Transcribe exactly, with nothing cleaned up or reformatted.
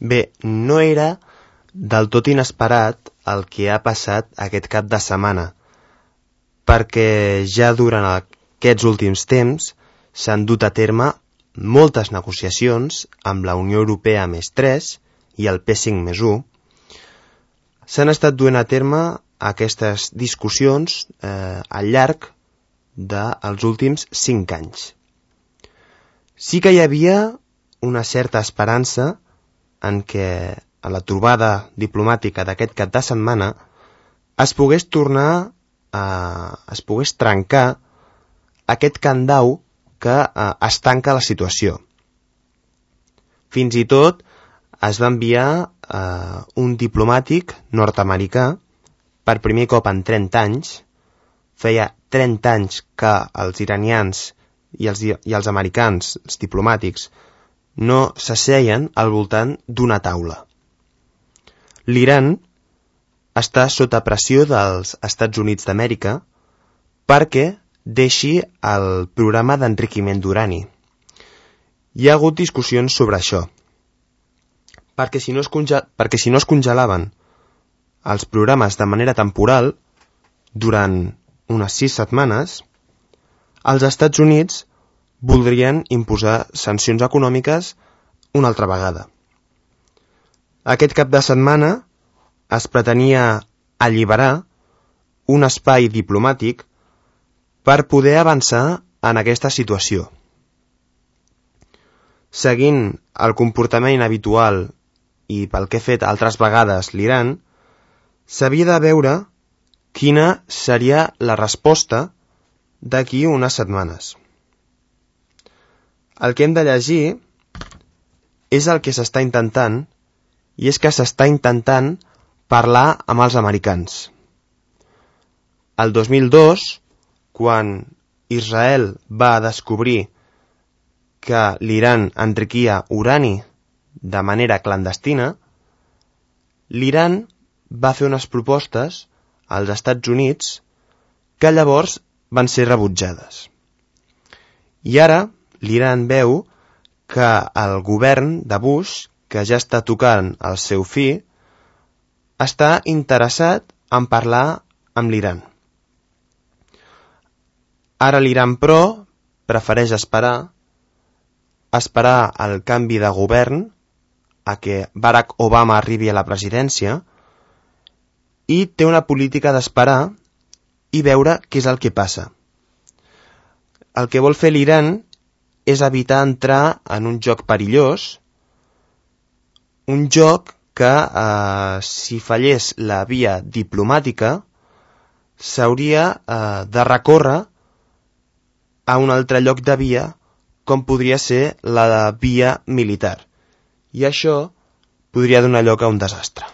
Bé, no era del tot inesperat el que ha passat aquest cap de setmana, perquè ja durant aquests últims temps s'han dut a terme moltes negociacions amb la Unió Europea més tres i el P cinc més u. S'han estat duent a terme aquestes discussions eh, al llarg dels últims cinc anys. Sí que hi havia una certa esperança en què a la trobada diplomàtica d'aquest cap de setmana es pogués tornar a, es pogués trencar aquest candau que eh, estanca la situació. Fins i tot es va enviar eh, un diplomàtic nord-americà per primer cop en trenta anys. Feia trenta anys que els iranians i els, i els americans, els diplomàtics, no s'asseien al voltant d'una taula. L'Iran està sota pressió dels Estats Units d'Amèrica perquè deixi el programa d'enriquiment d'urani. Hi ha hagut discussions sobre això, perquè si no es, conge- perquè si no es congelaven els programes de manera temporal durant unes sis setmanes, els Estats Units voldrien imposar sancions econòmiques una altra vegada. Aquest cap de setmana es pretenia alliberar un espai diplomàtic per poder avançar en aquesta situació. Seguint el comportament habitual i pel que ha fet altres vegades l'Iran, s'havia de veure quina seria la resposta d'aquí unes setmanes. El que hem de llegir és el que s'està intentant, i és que s'està intentant parlar amb els americans. El dos mil dos, quan Israel va descobrir que l'Iran enriquia urani de manera clandestina, l'Iran va fer unes propostes als Estats Units que llavors van ser rebutjades. I ara l'Iran veu que el govern de Bush, que ja està tocant el seu fi, està interessat en parlar amb l'Iran. Ara l'Iran, però, prefereix esperar, esperar el canvi de govern, a que Barack Obama arribi a la presidència, i té una política d'esperar i veure què és el que passa. El que vol fer l'Iran és evitar entrar en un joc perillós, un joc que, eh, si fallés la via diplomàtica, s'hauria eh, de recórrer a un altre lloc de via, com podria ser la via militar. I això podria donar lloc a un desastre.